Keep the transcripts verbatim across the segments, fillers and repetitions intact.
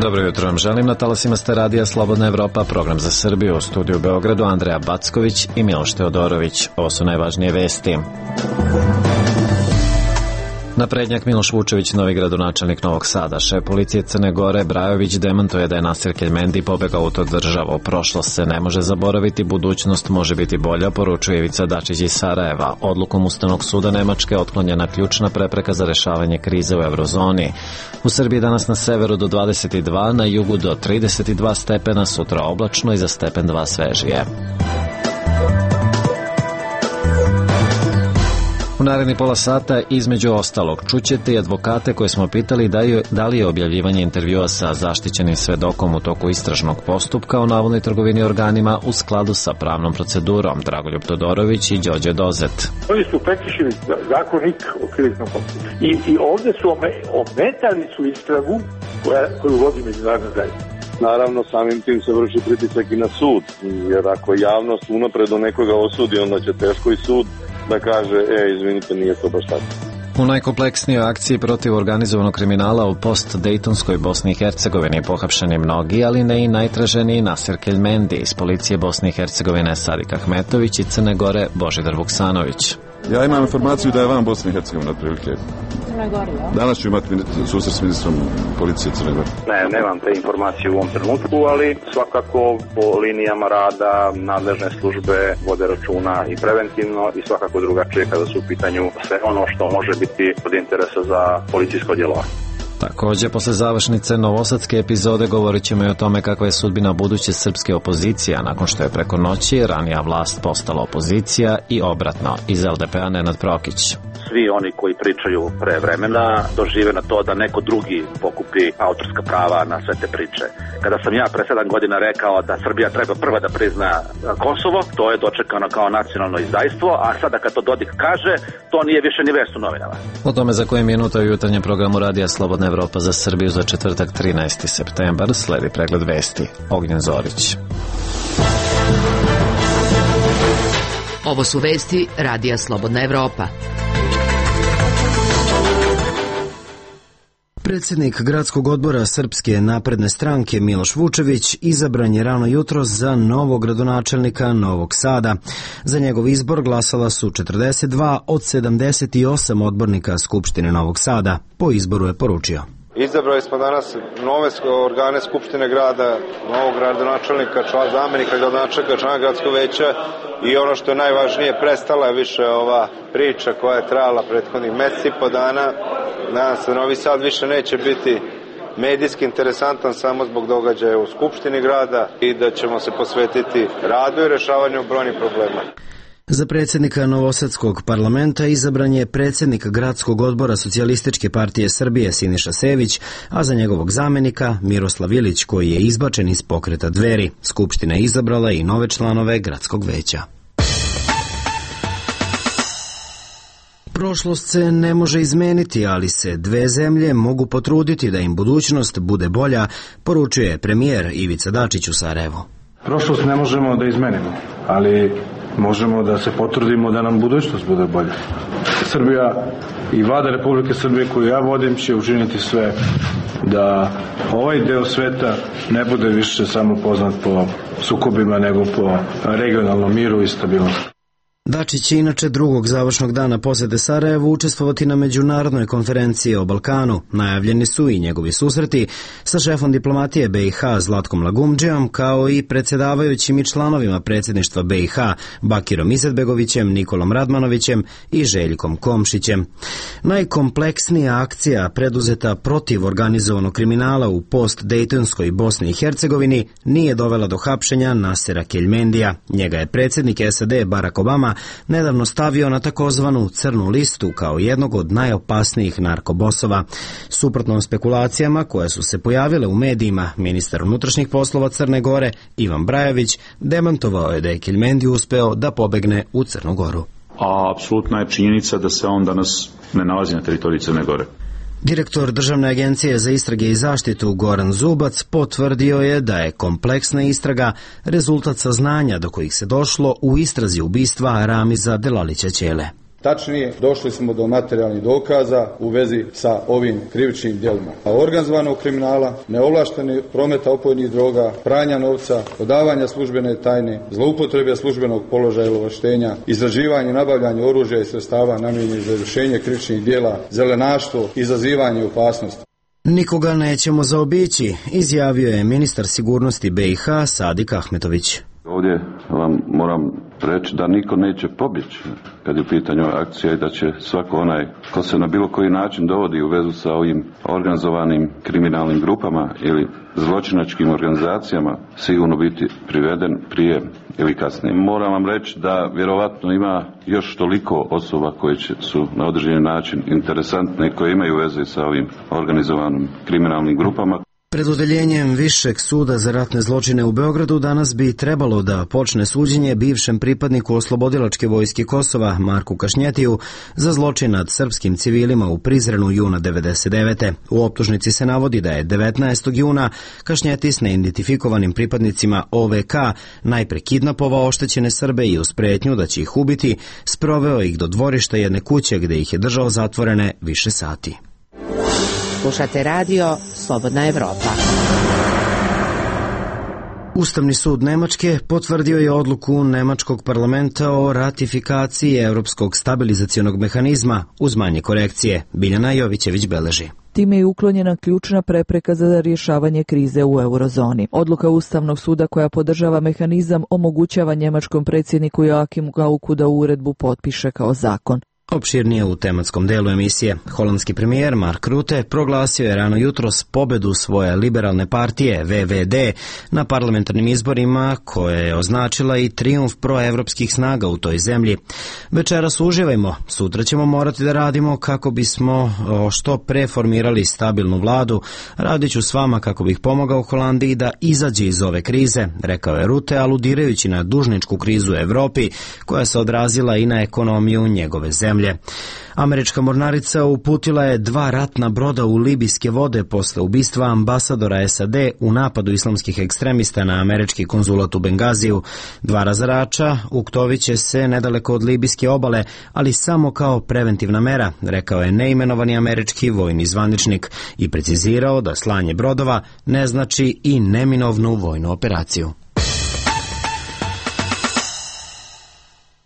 Dobro jutro vam želim, na talasima ste radija Slobodna Evropa, program za Srbiju, u studiju u Beogradu Andreja Backović i Miloš Teodorović. Ovo su najvažnije vesti. Naprednjak Miloš Vučević, novi gradonačelnik Novog Sada. Šef policije Crne Gore Brajović demantuje da je Nasir Keljmendi pobegao u tu državu. Prošlost se ne može zaboraviti, budućnost može biti bolja, poručuje Ivica Dačić iz Sarajeva. Odlukom Ustavnog suda Nemačke otklonjena ključna prepreka za rešavanje krize u eurozoni. U Srbiji danas na severu do dvadeset dva, na jugu do trideset dva stepena, sutra oblačno i za stepen dva svežije. U naredni pola sata, između ostalog, čućete i advokate koje smo pitali da li je objavljivanje intervjua sa zaštićenim svedokom u toku istražnog postupka o navodnoj trgovini organima u skladu sa pravnom procedurom. Dragoljub Todorović i Đorđe Dozet. Oni su prekršili zakonik o krivičnom postupku. I, i ovde su ometali su istragu koja, koju vodi međunarodna zajednica. Naravno, samim tim se vrši pritisak i na sud, jer ako javnost unapred do nekoga osudi, onda će teško i sud da kaže, e, izvinite, nije to baš tako. U najkompleksnijoj akciji protiv organizovanog kriminala u post-Dejtonskoj Bosni i Hercegovini pohapšeni mnogi, ali ne i najtraženiji Nasir Keljmendi. Iz policije Bosne i Hercegovine Sadik Ahmetović i Crne Gore Božidar Vuksanović. Ja imam informaciju da je van Bosne i Hercegovine otprilike. Danas ću imati susret s ministrom policije Crne Gore. Ne, nemam te informacije u ovom trenutku, ali svakako po linijama rada nadležne službe vode računa i preventivno i svakako drugačije kada su u pitanju sve ono što može biti od interesa za policijsko djelovanje. Također, posle završnice novosadske epizode govorit ćemo i o tome kakva je sudbina buduće srpske opozicije, nakon što je preko noći ranija vlast postala opozicija i obratno. Iz L D P-a Nenad Prokić. Svi oni koji pričaju pre vremena dožive na to da neko drugi pokupi autorska prava na sve te priče. Kada sam ja pre sedam godina rekao da Srbija treba prva da prizna Kosovo, to je dočekano kao nacionalno izdajstvo, a sada kad to Dodik kaže, to nije više ni vest u novinama. O tome za koje minuta u jutarnjem programu radija Slobodna Evropa za Srbiju za četvrtak trinaesti septembar sledi pregled vesti. Ognjen Zorić. Ovo su vesti radija Slobodna Evropa. Predsjednik gradskog odbora Srpske napredne stranke Miloš Vučević izabran je rano jutros za novog gradonačelnika Novog Sada. Za njegov izbor glasala su četrdeset dva od sedamdeset osam odbornika Skupštine Novog Sada. Po izboru je poručio. Izabrali smo danas nove organe Skupštine grada, novog gradonačelnika, člana zamenika gradonačelnika, člana gradskog veća i ono što je najvažnije, prestala je više ova priča koja je trajala prethodnih meseci i po dana. Nadam se, Novi Sad više neće biti medijski interesantan samo zbog događaja u Skupštini grada i da ćemo se posvetiti radu i rešavanju brojnih problema. Za predsjednika Novosadskog parlamenta izabran je predsjednik gradskog odbora Socijalističke partije Srbije Siniša Sević, a za njegovog zamenika Miroslav Ilić, koji je izbačen iz pokreta Dveri. Skupština je izabrala i nove članove gradskog veća. Prošlost se ne može izmeniti, ali se dve zemlje mogu potruditi da im budućnost bude bolja, poručuje premijer Ivica Dačić u Sarajevu. Prošlost ne možemo da izmenimo, ali možemo da se potrudimo da nam budućnost bude bolja. Srbija i vlada Republike Srbije koju ja vodim će učiniti sve da ovaj deo sveta ne bude više samo poznat po sukobima, nego po regionalnom miru i stabilnosti. Dačić će inače drugog završnog dana posete Sarajevu učestvovati na međunarodnoj konferenciji o Balkanu. Najavljeni su i njegovi susreti sa šefom diplomatije B i H Zlatkom Lagumdžijom, kao i predsjedavajućim i članovima predsjedništva B i H Bakirom Izetbegovićem, Nikolom Radmanovićem i Željkom Komšićem. Najkompleksnija akcija preduzeta protiv organizovanog kriminala u post-Dejtonskoj Bosni i Hercegovini nije dovela do hapšenja Nasira Keljmendija. Njega je predsjednik S A D Barack Obama nedavno stavio na takozvanu crnu listu kao jednog od najopasnijih narkobosova. Suprotno spekulacijama koje su se pojavile u medijima, ministar unutrašnjih poslova Crne Gore Ivan Brajović demantovao je da je Keljmendi uspeo da pobegne u Crnu Goru. A apsolutna je činjenica da se on danas ne nalazi na teritoriji Crne Gore. Direktor Državne agencije za istrage i zaštitu Goran Zubac potvrdio je da je kompleksna istraga rezultat saznanja do kojih se došlo u istrazi ubistva Ramiza Delalića Ćele. Tačnije, došli smo do materijalnih dokaza u vezi sa ovim krivičnim djelima. Organizovanog kriminala, neovlaštenih prometa opojnih droga, pranja novca, odavanja službene tajne, zloupotrebe službenog položaja ili ovlaštenja, izrađivanje i nabavljanje oružja i sredstava namijenjenih za izvršenje krivičnih djela, zelenaštvo, izazivanje opasnosti. Nikoga nećemo zaobići, izjavio je ministar sigurnosti B i H Sadik Ahmetović. Ovdje vam moram reći da niko neće pobjeći kad je u pitanju akcija i da će svako onaj ko se na bilo koji način dovodi u vezu sa ovim organizovanim kriminalnim grupama ili zločinačkim organizacijama sigurno biti priveden prije ili kasnije. Moram vam reći da vjerovatno ima još toliko osoba koje će, su na određeni način interesantne i koje imaju veze sa ovim organizovanim kriminalnim grupama. Pred odeljenjem Višeg suda za ratne zločine u Beogradu danas bi trebalo da počne suđenje bivšem pripadniku Oslobodilačke vojske Kosova Marku Kašnjetiju za zločin nad srpskim civilima u Prizrenu juna devedeset devete. U optužnici se navodi da je devetnaestog juna Kašnjeti s neidentifikovanim pripadnicima O V K najpre kidnapovao oštećene Srbe i uz pretnju da će ih ubiti, sproveo ih do dvorišta jedne kuće gde ih je držao zatvorene više sati. Slušate radio Slobodna Evropa. Ustavni sud Nemačke potvrdio je odluku Nemačkog parlamenta o ratifikaciji Evropskog stabilizacionog mehanizma uz manje korekcije. Biljana Jovićević beleži. Time je uklonjena ključna prepreka za rješavanje krize u eurozoni. Odluka Ustavnog suda koja podržava mehanizam omogućava njemačkom predsjedniku Joachimu Gauku da uredbu potpiše kao zakon. Opširnije u tematskom delu emisije. Holandski premijer Mark Rutte proglasio je rano jutros pobedu svoje liberalne partije V V D na parlamentarnim izborima, koja je označila i trijumf proevropskih snaga u toj zemlji. Večeras uživajmo, sutra ćemo morati da radimo kako bismo što pre formirali stabilnu vladu. Radit ću s vama kako bih pomogao Holandiji da izađe iz ove krize, rekao je Rutte, aludirajući na dužničku krizu u Evropi koja se odrazila i na ekonomiju njegove zemlje. Američka mornarica uputila je dva ratna broda u libijske vode posle ubistva ambasadora S A D u napadu islamskih ekstremista na američki konzulat u Bengaziju. Dva razarača uktoviće se nedaleko od libijske obale, ali samo kao preventivna mera, rekao je neimenovani američki vojni zvaničnik i precizirao da slanje brodova ne znači i neminovnu vojnu operaciju.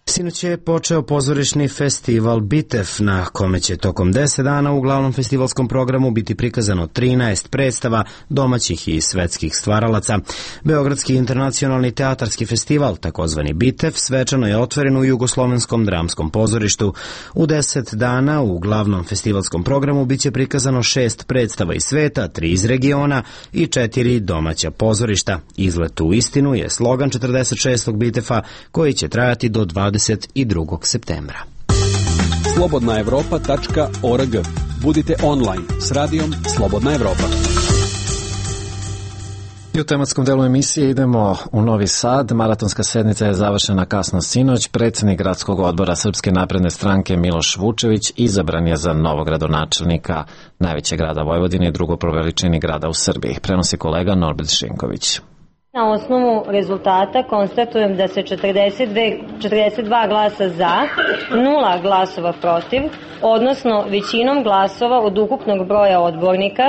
Sinoć je počeo pozorišni festival Bitev, na kome će tokom deset dana u glavnom festivalskom programu biti prikazano trinaest predstava domaćih i svetskih stvaralaca. Beogradski internacionalni teatarski festival, takozvani Bitev, svečano je otvoren u Jugoslovenskom dramskom pozorištu. U deset dana u glavnom festivalskom programu biće prikazano šest predstava iz sveta, tri iz regiona i četiri domaća pozorišta. Izlet u istinu je slogan četrdeset šestog Bitefa, koji će trajati do dvadeset drugog septembra. slobodna evropa tačka org. Budite online s radijom Slobodna Evropa. I u tematskom delu emisije idemo u Novi Sad. Maratonska sednica je završena kasno sinoć. Predsjednik gradskog odbora Srpske napredne stranke Miloš Vučević izabran je za novog gradonačelnika najvećeg grada Vojvodine i drugo po veličini grada u Srbiji. Prenosi kolega Norbert Šinković. Na osnovu rezultata konstatujem da se četrdeset dve, četrdeset dva glasa za, nula glasova protiv, odnosno većinom glasova od ukupnog broja odbornika,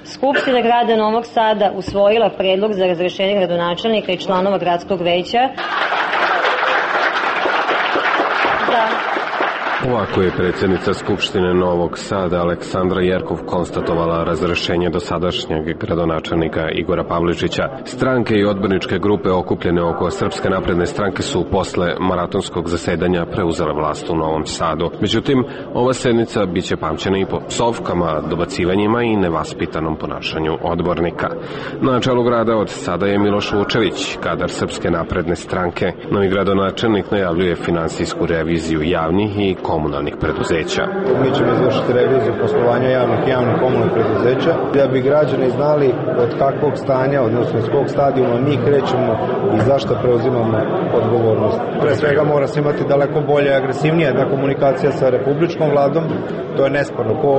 Skupština grada Novog Sada usvojila predlog za razrešenje gradonačelnika i članova gradskog veća. Ovako je predsjednica Skupštine Novog Sada Aleksandra Jerkov konstatovala razrešenje dosadašnjeg gradonačelnika Igora Pavličića. Stranke i odborničke grupe okupljene oko Srpske napredne stranke su posle maratonskog zasedanja preuzele vlast u Novom Sadu. Međutim, ova sednica biće pamćena i po psovkama, dobacivanjima i nevaspitanom ponašanju odbornika. Na čelu grada od sada je Miloš Vučević, kadar Srpske napredne stranke. Novi gradonačelnik najavljuje finansijsku reviziju javnih i komunalnih preduzeća. Mi ćemo izvršiti reviziju poslovanja javnih i javnih komunalnih preduzeća da bi građani znali od kakvog stanja, odnosno iz kog stadijuma mi krećemo i zašto preuzimamo odgovornost. Pre svega mora se imati daleko bolje i agresivnija jedna komunikacija sa republičkom vladom, to je nesporno. Ko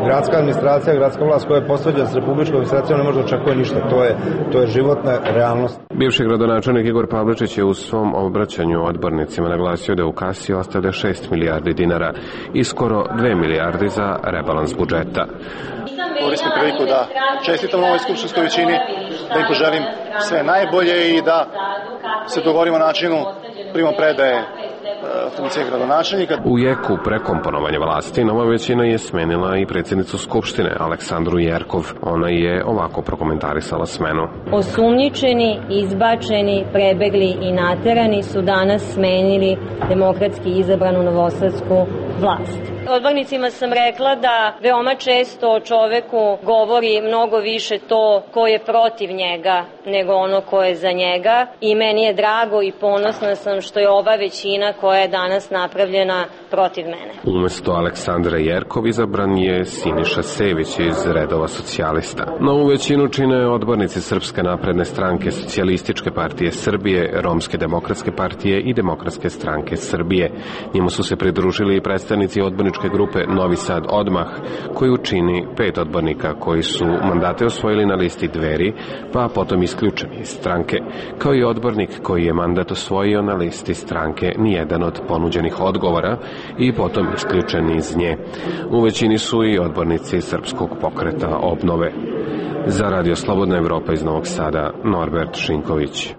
gradska administracija, gradska vlast koja je posvađana s republičkom administracijom ne može očekuje ništa, to je, to je životna realnost. Bivši gradonačelnik Igor Pavličić je u svom obraćanju odbornicima naglasio da u kasi ostavlja šest milijardi dinara dinara i skoro dve milijarde za rebalans budžeta. Koristim priliku da čestitam novoj skupštinskoj većini, da im poželim sve najbolje i da se dogovorimo načinu primopredaje funkcije gradonačelnika. U jeku prekomponovanja vlasti nova većina je smenila i predsjednicu Skupštine Aleksandru Jerkov. Ona je ovako prokomentarisala smenu. Osumnjičeni, izbačeni, prebegli i naterani su danas smenili demokratski izabranu novosadsku vlast. Odbornicima sam rekla da veoma često o čoveku govori mnogo više to ko je protiv njega nego ono ko je za njega i meni je drago i ponosna sam što je ova većina koja je danas napravljena protiv mene. Umesto Aleksandra Jerkov izabran je Siniša Sević iz redova socijalista. Novu većinu čine odbornici Srpske napredne stranke, Socijalističke partije Srbije, Romske demokratske partije i Demokratske stranke Srbije. Njima su se pridružili i predstavnici odborničke grupe Novi Sad odmah, koju čini pet odbornika koji su mandate osvojili na listi Dveri, pa potom isključeni iz stranke, kao i odbornik koji je mandat osvojio na listi stranke Nijedan od ponuđenih odgovora i potom isključeni iz nje. U većini su i odbornici Srpskog pokreta obnove. Za Radio Slobodna Evropa iz Novog Sada, Norbert Šinković.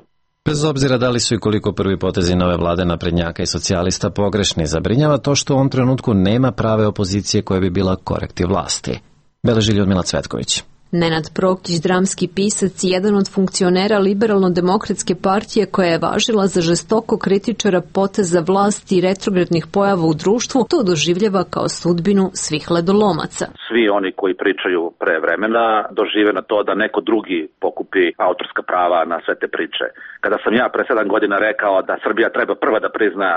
Bez obzira da li su i koliko prvi potezi nove vlade naprednjaka i socijalista pogrešni, zabrinjava to što u ovom trenutku nema prave opozicije koja bi bila korektiv vlasti. Beleži Ljudmila Cvetković. Nenad Prokić, dramski pisac i jedan od funkcionera Liberalno-demokratske partije koja je važila za žestoko kritičara poteza vlasti i retrogradnih pojava u društvu, to doživljava kao sudbinu svih ledolomaca. Svi oni koji pričaju pre vremena dožive na to da neko drugi pokupi autorska prava na sve te priče. Kada sam ja pre sedam godina rekao da Srbija treba prva da prizna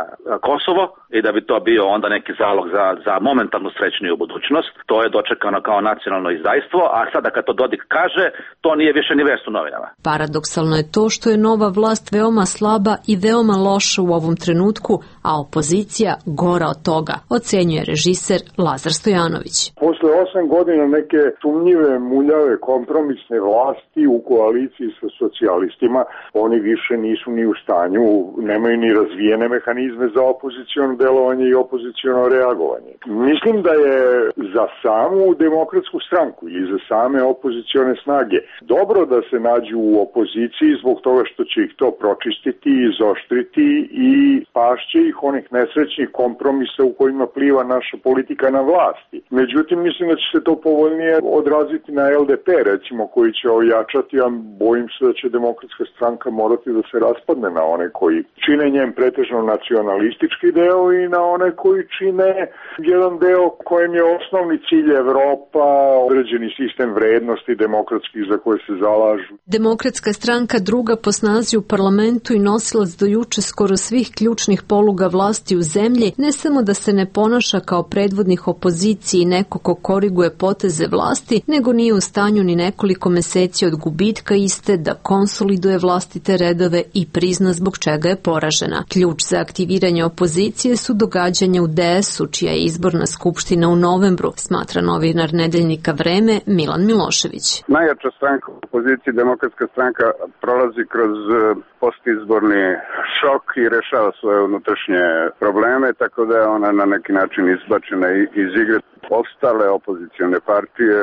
Kosovo i da bi to bio onda neki zalog za, za momentalnu srećniju budućnost, to je dočekano kao nacionalno izdajstvo, a sada kad to Dodik kaže, to nije više ni vest u novinama. Paradoksalno je to što je nova vlast veoma slaba i veoma loša u ovom trenutku, a opozicija gora od toga, ocenjuje režiser Lazar Stojanović. Posle osam godina neke sumnjive, muljave, kompromisne vlasti u koaliciji sa socijalistima, oni više nisu ni u stanju, nemaju ni razvijene mehanizme za opoziciono delovanje i opoziciono reagovanje. Mislim da je za samu demokratsku stranku ili za same opozicione snage dobro da se nađu u opoziciji zbog toga što će ih to pročistiti, izoštriti i pašće ih onih nesrećnih kompromisa u kojima pliva naša politika na vlasti. Međutim, mislim da će se to povoljnije odraziti na L D P, recimo, koji će ojačati, a bojim se da će demokratska stranka morati da se raspadne na one koji čine njen pretežno nacionalistički deo i na one koji čine jedan deo kojem je osnovni cilj Evropa, određeni sistem vrednosti demokratskih za koje se zalažu. Demokratska stranka, druga po snazi u parlamentu i nosilac do juče skoro svih ključnih poluga vlasti u zemlji, ne samo da se ne ponaša kao predvodnik opozicije i neko ko koriguje poteze vlasti, nego nije u stanju ni nekoliko meseci od gubitka iste da konsoliduje vlastite redove i prizna zbog čega je poražena. Ključ za aktiviranje opozicije su događanja u D S-u, čija je izborna skupština u novembru, smatra novinar nedeljnika Vreme Milan Milošević. Najjača stranka u opoziciji, Demokratska stranka, prolazi kroz postizborni šok i rešava svoje unutrašnje probleme, tako da je ona na neki način izbačena iz igre. Ostale opozicione partije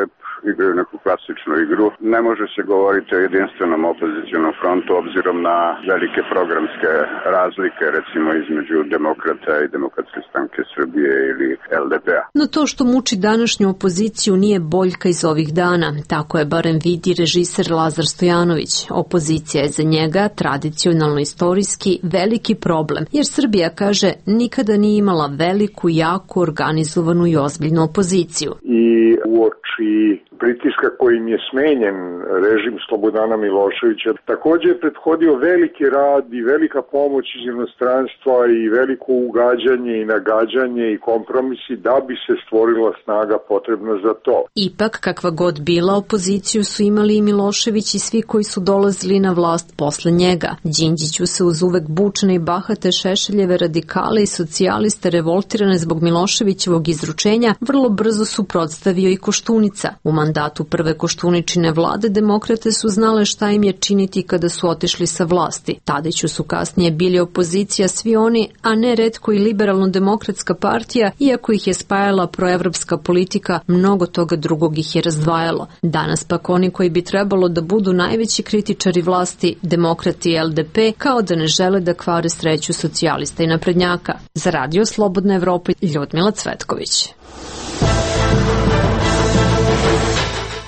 igraju neku klasičnu igru. Ne može se govoriti o jedinstvenom opozicionom frontu obzirom na velike programske razlike, recimo između Demokrata i Demokratske stranke Srbije ili L D P-a. No to što muči današnju opoziciju nije boljka iz ovih dana. Tako je barem vidi režiser Lazar Stojanović. Opozicija je za njega tradicionalno istorijski veliki problem, jer Srbija, kaže, nikada nije imala veliku, jaku, organizovanu i ozbiljnu opoziciju. I uoči pritiska kojim je smenjen režim Slobodana Miloševića, također je prethodio veliki rad i velika pomoć iz inostranstva i veliko ugađanje i nagađanje i kompromisi da bi se stvorila snaga potrebna za to. Ipak, kakva god bila, opoziciju su imali i Milošević i svi koji su dolazili na vlast posle njega. Đinđiću se uz uvek bučne i bahate Šešeljeve radikale i socijaliste revoltirane zbog Miloševićevog izručenja vrlo brzo suprotstavio i Koštunica. U mandatu prve Koštuničine vlade demokrate su znale šta im je činiti kada su otišli sa vlasti. Tadiću su kasnije bili opozicija svi oni, a ne retko i liberalno-demokratska partija, iako ih je spajala proevropska politika, mnogo toga drugog ih je razdvajalo. Danas pak oni koji bi trebalo da budu najveći kritičari vlasti, demokrati i L D P, kao da ne žele da kvare sreću socijalista i naprednjaka. Za Radio Slobodna Evropa, Ljudmila Cvetković.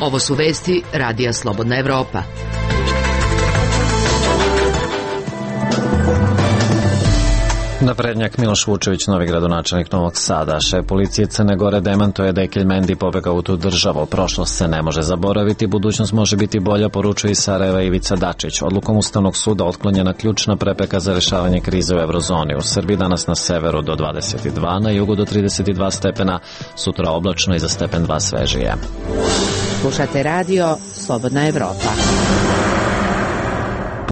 Ovo su vesti Radija Slobodna Evropa. Naprednjak Miloš Vučević, novi gradonačelnik Novog Sada. Šef policije Crne Gore demantuje da je Keljmendi pobegao u tu državu. Prošlost se ne može zaboraviti, budućnost može biti bolja, poručuje iz Sarajeva Ivica Dačić. Odlukom Ustavnog suda otklonjena ključna prepreka za rešavanje krize u evrozoni. U Srbiji danas na severu do dvadeset dva, na jugu do trideset dva stepena, sutra oblačno i za stepen dva svežije. Slušate radio Slobodna Evropa.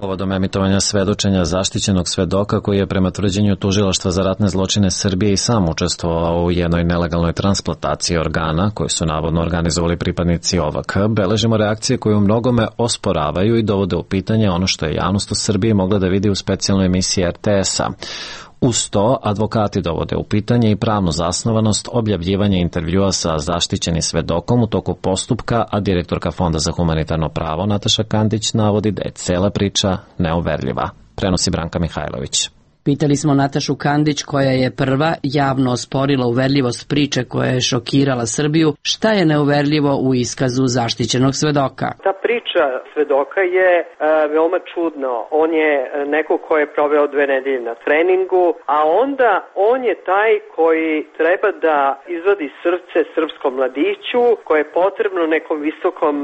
Povodom emitovanja svedočenja zaštićenog svedoka koji je prema tvrđenju Tužilaštva za ratne zločine Srbije i sam učestvovao u jednoj nelegalnoj transplantaciji organa koju su navodno organizovali pripadnici O V K, beležimo reakcije koje u mnogome osporavaju i dovode u pitanje ono što je javnost u Srbiji mogla da vidi u specijalnoj emisiji R T S-a. Uz to, advokati dovode u pitanje i pravnu zasnovanost objavljivanja intervjua sa zaštićenim svedokom u toku postupka, a direktorka Fonda za humanitarno pravo Nataša Kandić navodi da je cela priča neuverljiva. Prenosi Branka Mihajlović. Pitali smo Natašu Kandić, koja je prva javno osporila uverljivost priče koja je šokirala Srbiju, šta je neuverljivo u iskazu zaštićenog svedoka. Ta priča svedoka je e, veoma čudno. On je neko ko je proveo dve nedelje na treningu, a onda on je taj koji treba da izvadi srce srpskom mladiću, koje je potrebno nekom visokom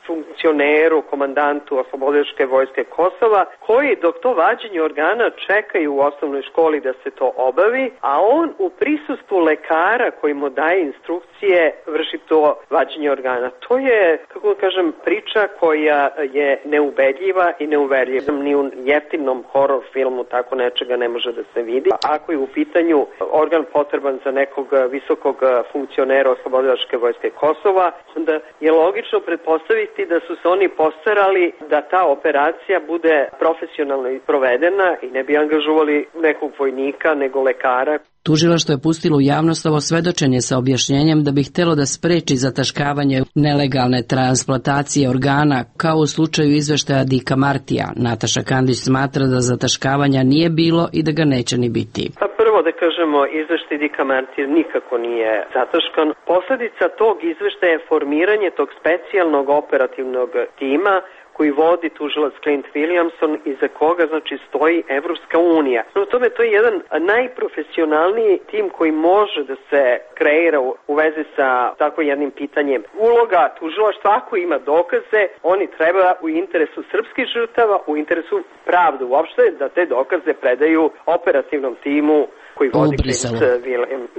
funkcioneru, komandantu Oslobodilačke vojske Kosova, koji dok to vađenje organa čekaju u osnovnoj školi da se to obavi, a on u prisustvu lekara koji mu daje instrukcije vrši to vađenje organa. To je, kako da kažem, priča koja je neubedljiva i neuverljiva. Ni u jeftinom horor filmu tako nečega ne može da se vidi. Ako je u pitanju organ potreban za nekog visokog funkcionera Oslobodilačke vojske Kosova, onda je logično pretpostaviti da su se oni postarali da ta operacija bude profesionalno provedena i ne bi angažovali nekog vojnika nego lekara. Tužilaštvo je pustilo u javnost ovo svedočenje sa objašnjenjem da bi htelo da spreči zataškavanje nelegalne transplantacije organa, kao u slučaju izveštaja Dika Martija. Nataša Kandić smatra da zataškavanja nije bilo i da ga neće ni biti. Pa prvo da kažemo, izveštaj Dika Martija nikako nije zataškan. Posledica tog izveštaja je formiranje tog specijalnog operativnog tima koji vodi tužilac Clint Williamson i za koga znači stoji Evropska unija. No tome to je jedan najprofesionalniji tim koji može da se kreira u, u vezi sa tako jednim pitanjem. Uloga tužilaštva, ako ima dokaze, oni treba u interesu srpskih žrtava, u interesu pravde uopšte, da te dokaze predaju operativnom timu koji vodi Clint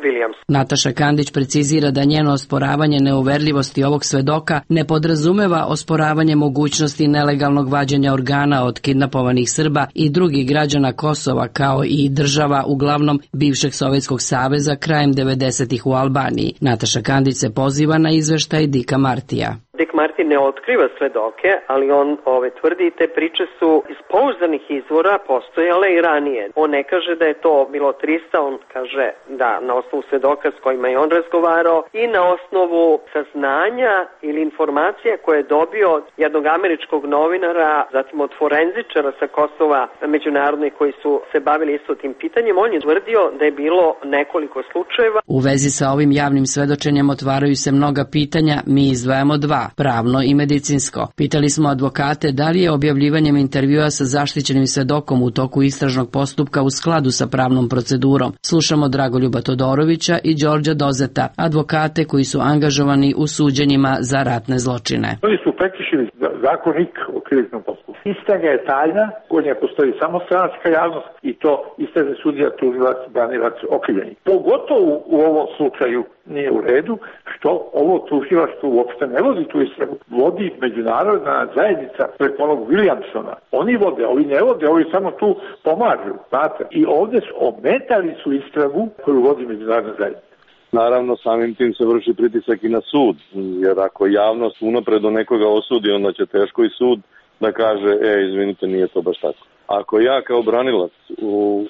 Williamson. Nataša Kandić precizira da njeno osporavanje neuverljivosti ovog svedoka ne podrazumeva osporavanje mogućnosti nelegalnog vađenja organa od kidnapovanih Srba i drugih građana Kosova, kao i država uglavnom bivšeg Sovjetskog saveza krajem devedesetih u Albaniji. Nataša Kandić se poziva na izveštaj Dika Martija. Dick Martin ne otkriva svedoke, ali on ove tvrdi te priče su iz pouzdanih izvora postojale i ranije. On ne kaže da je to bilo trista, on kaže da na osnovu svedoka s kojima je on razgovarao i na osnovu saznanja ili informacija koje je dobio od jednog američkog novinara, zatim od forenzičara sa Kosova međunarodnih koji su se bavili isto tim pitanjem. On je tvrdio da je bilo nekoliko slučajeva. U vezi sa ovim javnim svedočenjem otvaraju se mnoga pitanja, mi izdvajamo dva. Pravno i medicinsko. Pitali smo advokate da li je objavljivanjem intervjua sa zaštićenim svedokom u toku istražnog postupka u skladu sa pravnom procedurom. Slušamo Dragoljuba Todorovića i Đorđa Dozeta, advokate koji su angažovani u suđenjima za ratne zločine. Oni su prekršili zakonik o krivičnom postupku. Istraga je tajna, kod nje postoji samo stranačka javnost i to istražni sudija, tužilac, branilac, okrivljeni. Pogotovo u ovom slučaju nije u redu što ovo tužilaštvo uopšte ne vodi tu istragu. Vodi međunarodna zajednica preko onog Williamsona. Oni vode, ovi ne vode, ovi samo tu pomažu, znate. I ovde su ometali su istragu koju vodi međunarodna zajednica. Naravno, samim tim se vrši pritisak i na sud, jer ako javnost unapred do nekoga osudi, onda će teško i sud da kaže, e, izvinite, nije to baš tako. Ako ja kao branilac u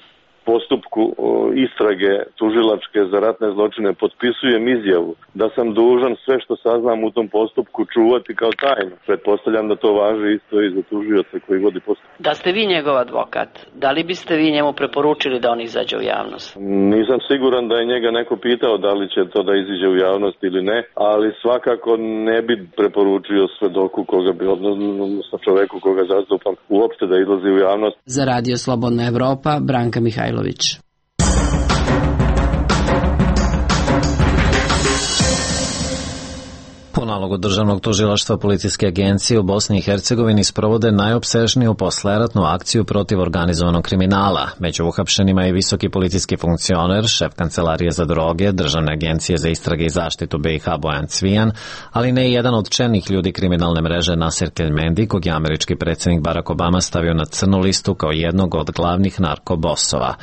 postupku istrage tužilačke za ratne zločine potpisujem izjavu da sam dužan sve što saznam u tom postupku čuvati kao tajnu, pretpostavljam da to važi isto i za tužioca koji vodi postupak. Da ste vi njegov advokat, da li biste vi njemu preporučili da on izađe u javnost? Nisam siguran da je njega neko pitao da li će to da iziđe u javnost ili ne, ali svakako ne bi preporučio svedoku koga bi, odnosno čoveku koga zastupam, uopšte da izlazi u javnost. Za Radio Slobodna Evropa, Branka Mihajlović. Po nalogu Državnog tužilaštva policijske agencije u Bosni i Hercegovini sprovode najopsežniju posleratnu akciju protiv organizovanog kriminala. Među uhapšenima je visoki policijski funkcioner, šef Kancelarije za droge, Državne agencije za istrage i zaštitu B i H Bojan Cvijan, ali ne i jedan od čelnih ljudi kriminalne mreže Nasir Keljmendi, kog je američki predsjednik Barack Obama stavio na crnu listu kao jednog od glavnih narkobosova.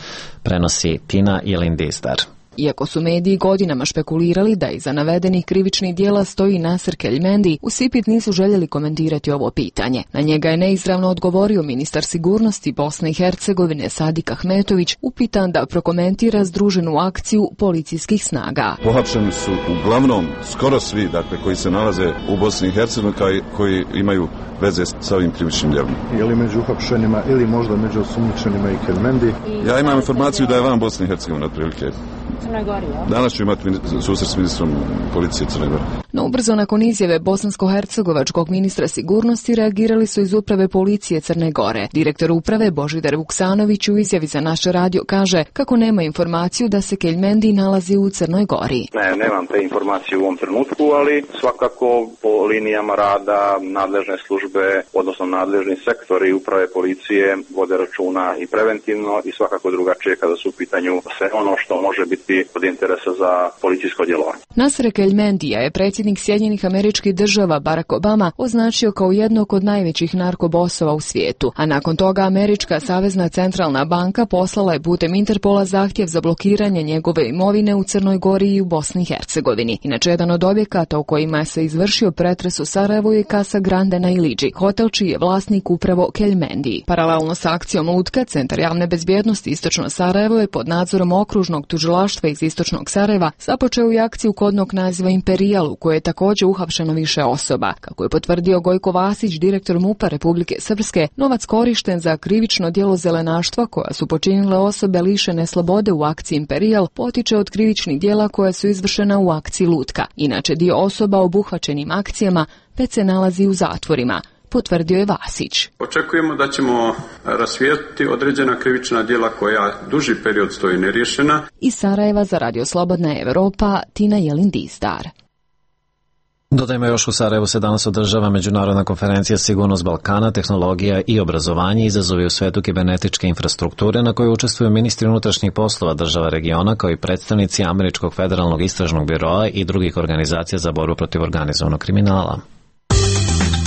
Prenosi Tina Jelindizdar. Iako su mediji godinama špekulirali da iza navedenih krivičnih dijela stoji Nasir Keljmendi, u Sipit nisu željeli komentirati ovo pitanje. Na njega je neizravno odgovorio ministar sigurnosti Bosne i Hercegovine Sadik Ahmetović, upitan da prokomentira združenu akciju policijskih snaga. Pohapšeni su uglavnom skoro svi, dakle, koji se nalaze u Bosni i Hercegovini, koji imaju veze sa ovim krivičnim djelom. Je li među uhapšenima ili možda među osumnjičenima i Keljmendi? Ja imam informaciju da je van Bosne i Hercegovine otprilike. Crnoj Gori, ja? Danas ću imati susret s ministrom policije Crne Gore. No ubrzo nakon izjave bosansko-hercegovačkog ministra sigurnosti reagirali su iz uprave policije Crne Gore. Direktor uprave Božidar Vuksanović u izjavi za naš radio kaže kako nema informaciju da se Keljmendi nalazi u Crnoj Gori. Ne, nemam te informacije u ovom trenutku, ali svakako po linijama rada nadležne službe, odnosno nadležni sektori uprave policije vode računa i preventivno i svakako drugačije kada su u pitanju sve ono što može biti od interesa za policijsko djelovanje. Nasir Keljmendija je predsjednik Sjedinjenih Američkih Država Barack Obama označio kao jednog od najvećih narkobosova u svijetu, a nakon toga Američka savezna centralna banka poslala je putem Interpola zahtjev za blokiranje njegove imovine u Crnoj Gori i u Bosni i Hercegovini. Inače, jedan od objekata u kojima se izvršio pretres u Sarajevu je Casa Grande na Iliđi, hotel čiji je vlasnik upravo Keljmendi. Paralelno sa akcijom Lutka, Centar javne bezbjednosti Istočno Sarajevo je pod nadzorom okružnog tužilaštva iz Istočnog Sarajeva započeo i akciju kodnog naziva Imperijal, u kojoj je također uhapšeno više osoba. Kako je potvrdio Gojko Vasić, direktor MUP-a Republike Srpske, novac korišten za krivično djelo zelenaštva koja su počinile osobe lišene slobode u akciji Imperijal potiče od krivičnih djela koja su izvršena u akciji Lutka. Inače, dio osoba obuhvaćenim akcijama već se nalazi u zatvorima, potvrdio je Vasić. Očekujemo da ćemo rasvijetliti određena krivična djela koja duži period stoji neriješena. Iz Sarajeva za Radio Slobodna Evropa, Tina Jelindizdar. Dodajmo još, u Sarajevu se danas održava međunarodna konferencija Sigurnost Balkana, tehnologija i obrazovanje, izazovi u svetu kibernetičke infrastrukture, na kojoj učestvuju ministri unutrašnjih poslova država regiona kao i predstavnici Američkog federalnog istražnog biroa i drugih organizacija za borbu protiv organizovanog kriminala.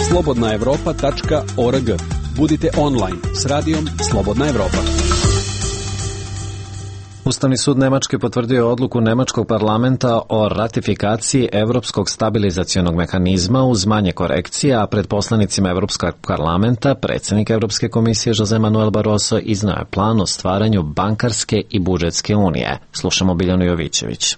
slobodna evropa tačka org. Budite online s radijom Slobodna Evropa. Ustavni sud Nemačke potvrdio je odluku Nemačkog parlamenta o ratifikaciji Evropskog stabilizacionog mehanizma uz manje korekcije, a pred poslanicima Evropskog parlamenta predsjednik Evropske komisije Jose Manuel Barroso iznao je plan o stvaranju bankarske i budžetske unije. Slušamo Biljanu Jovićević.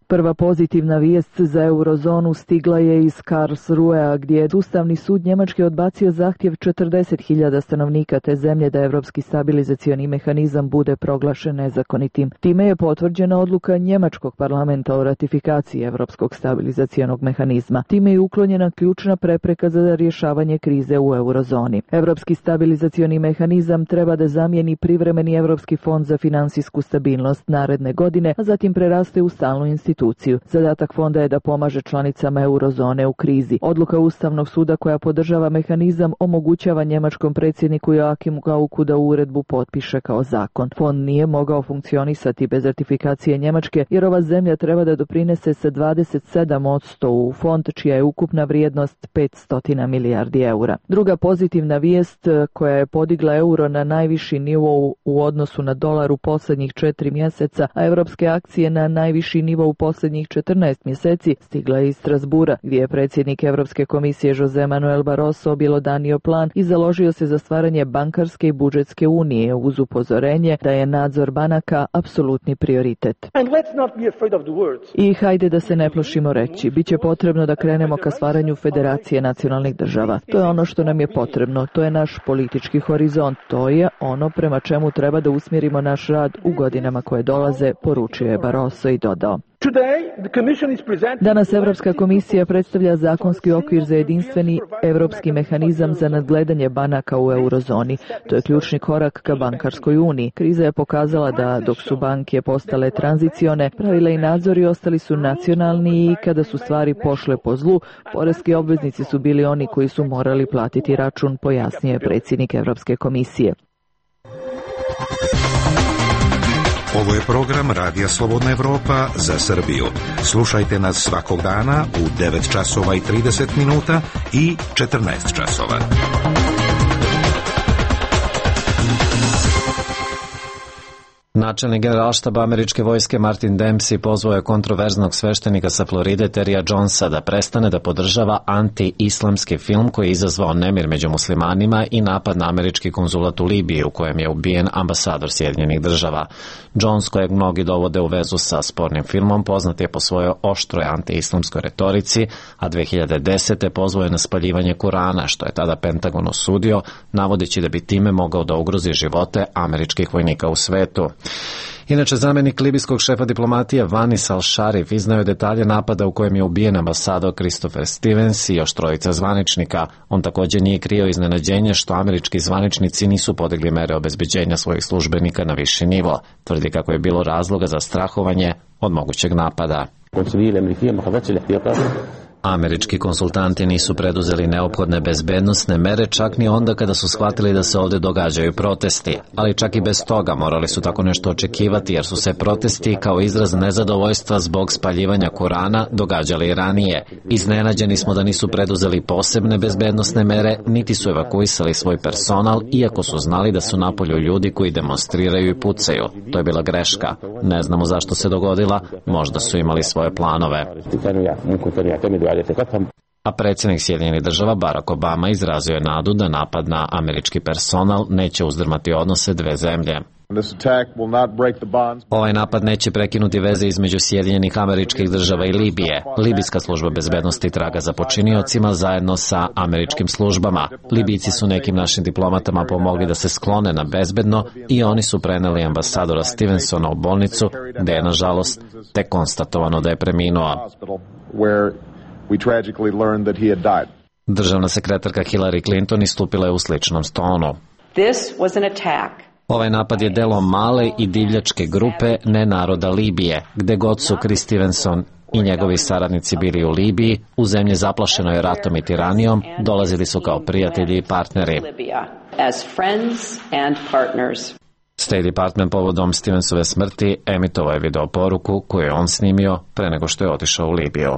Prva pozitivna vijest za eurozonu stigla je iz Karlsruhea, gdje je Ustavni sud Njemačke odbacio zahtjev četrdeset hiljada stanovnika te zemlje da Evropski stabilizacioni mehanizam bude proglašen nezakonitim. Time je potvrđena odluka Njemačkog parlamenta o ratifikaciji Evropskog stabilizacionog mehanizma. Time je uklonjena ključna prepreka za rješavanje krize u eurozoni. Evropski stabilizacioni mehanizam treba da zamijeni privremeni Evropski fond za finansijsku stabilnost naredne godine, a zatim preraste u stalnu instituciju. Zadatak fonda je da pomaže članicama eurozone u krizi. Odluka Ustavnog suda koja podržava mehanizam omogućava njemačkom predsjedniku Joachimu Gauku da uredbu potpiše kao zakon. Fond nije mogao funkcionisati bez ratifikacije Njemačke, jer ova zemlja treba da doprinese sa dvadeset sedam posto u fond čija je ukupna vrijednost petsto milijardi eura. Druga pozitivna vijest koja je podigla euro na najviši nivo u odnosu na dolar u posljednjih četiri mjeseca, a evropske akcije na najviši nivo u posljednjih četrnaest mjeseci stigla je iz Strasbura, gdje je predsjednik Evropske komisije Jose Manuel Barroso objelodanio plan i založio se za stvaranje bankarske i budžetske unije uz upozorenje da je nadzor banaka apsolutni prioritet. I hajde da se ne plašimo reći, bit će potrebno da krenemo ka stvaranju federacije nacionalnih država. To je ono što nam je potrebno, to je naš politički horizont, to je ono prema čemu treba da usmjerimo naš rad u godinama koje dolaze, poručio je Barroso i dodao. Danas Evropska komisija predstavlja zakonski okvir za jedinstveni evropski mehanizam za nadgledanje banaka u eurozoni. To je ključni korak ka bankarskoj uniji. Kriza je pokazala da dok su banke postale tranzicione, pravila i nadzori ostali su nacionalni i kada su stvari pošle po zlu, poreski obveznici su bili oni koji su morali platiti račun, pojasnio je predsjednik Evropske komisije. Ovo je program Radija Slobodna Evropa za Srbiju. Slušajte nas svakog dana u devet časova i trideset minuta i četrnaest časova. Načelnik generalštaba američke vojske Martin Dempsey pozvao je kontroverznog sveštenika sa Floride Terija Jonesa da prestane da podržava anti-islamski film koji je izazvao nemir među muslimanima i napad na američki konzulat u Libiji u kojem je ubijen ambasador Sjedinjenih država. Jones, kojeg mnogi dovode u vezu sa spornim filmom, poznat je po svojoj oštroj anti-islamskoj retorici, a dve hiljade desete pozvao je na spaljivanje Kurana, što je tada Pentagon osudio, navodeći da bi time mogao da ugrozi živote američkih vojnika u svetu. Inače, zamjenik libijskog šefa diplomatije Vanis Al-Sharif iznao je detalje napada u kojem je ubijen ambasador Christopher Stevens i još trojica zvaničnika. On također nije krio iznenađenje što američki zvaničnici nisu podigli mere obezbeđenja svojih službenika na viši nivo. Tvrdi kako je bilo razloga za strahovanje od mogućeg napada. Američki konsultanti nisu preduzeli neophodne bezbednosne mere čak ni onda kada su shvatili da se ovdje događaju protesti, ali čak i bez toga morali su tako nešto očekivati jer su se protesti kao izraz nezadovoljstva zbog spaljivanja Kurana događali i ranije. Iznenađeni smo da nisu preduzeli posebne bezbednosne mere, niti su evakuisali svoj personal, iako su znali da su napolju ljudi koji demonstriraju i pucaju. To je bila greška. Ne znamo zašto se dogodila, možda su imali svoje planove. A predsjednik Sjedinjenih država Barack Obama izrazio je nadu da napad na američki personal neće uzdrmati odnose dve zemlje. Ovaj napad neće prekinuti veze između Sjedinjenih američkih država i Libije. Libijska služba bezbednosti traga za počiniocima zajedno sa američkim službama. Libijci su nekim našim diplomatama pomogli da se sklone na bezbedno i oni su preneli ambasadora Stevensona u bolnicu, gde je nažalost tek konstatovano da je preminuo. Državna sekretarka Hillary Clinton istupila je u sličnom tonu. Ovaj napad je delo male i divljačke grupe nenaroda Libije, gde god su Chris Stevenson i njegovi saradnici bili u Libiji, u zemlji zaplašenoj ratom i tiranijom, dolazili su kao prijatelji i partneri. State Department povodom Stevensove smrti emitovao je video poruku koju je on snimio pre nego što je otišao u Libiju.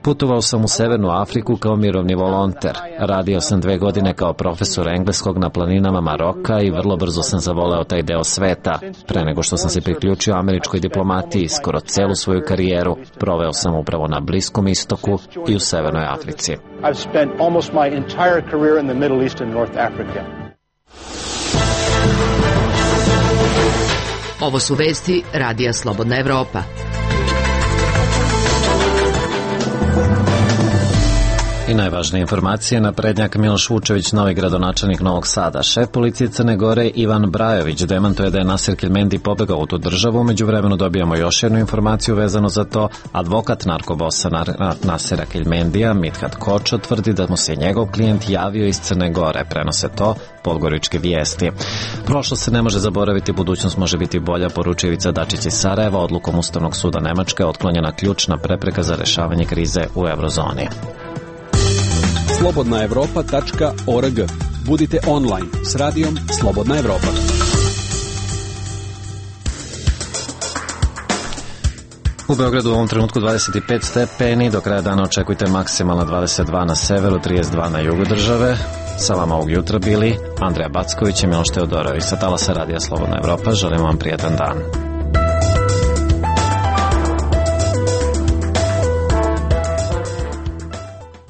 Putovao sam u Severnu Afriku kao mirovni volonter. Radio sam dve godine kao profesor engleskog na planinama Maroka i vrlo brzo sam zavoleo taj deo sveta. Pre nego što sam se priključio američkoj diplomatiji, skoro celu svoju karijeru proveo sam upravo na Bliskom istoku i u Severnoj Africi. Ovo su vesti Radija Slobodna Evropa. I najvažnije informacije, naprednjak Miloš Vučević, novi gradonačelnik Novog Sada. Šef policije Crne Gore Ivan Brajović demantuje da je Nasir Kelmendi pobegao u tu državu. Međuvremenu dobijamo još jednu informaciju vezano za to. Advokat narkobosa Nasira Kelmendija, Mithat Kočo, tvrdi da mu se njegov klijent javio iz Crne Gore. Prenose to Podgoričke vijesti. Prošlost se ne može zaboraviti, budućnost može biti bolja, poručuje Ivica Dačić iz Sarajeva. Odlukom Ustavnog suda Nemačke otklonjena ključna prepreka za rešavanje krize u eurozoni. slobodna evropa tačka org. Budite online s radijom Slobodna Evropa. U Beogradu u ovom trenutku dvadeset pet stepeni, do kraja dana očekujte maksimalno dvadeset dva na severu, trideset dva na jugu države. Sa vama ovog jutra bili Andreja Backović i Miloš Teodorović. Sa talasa radija Slobodna Evropa želim vam prijatan dan.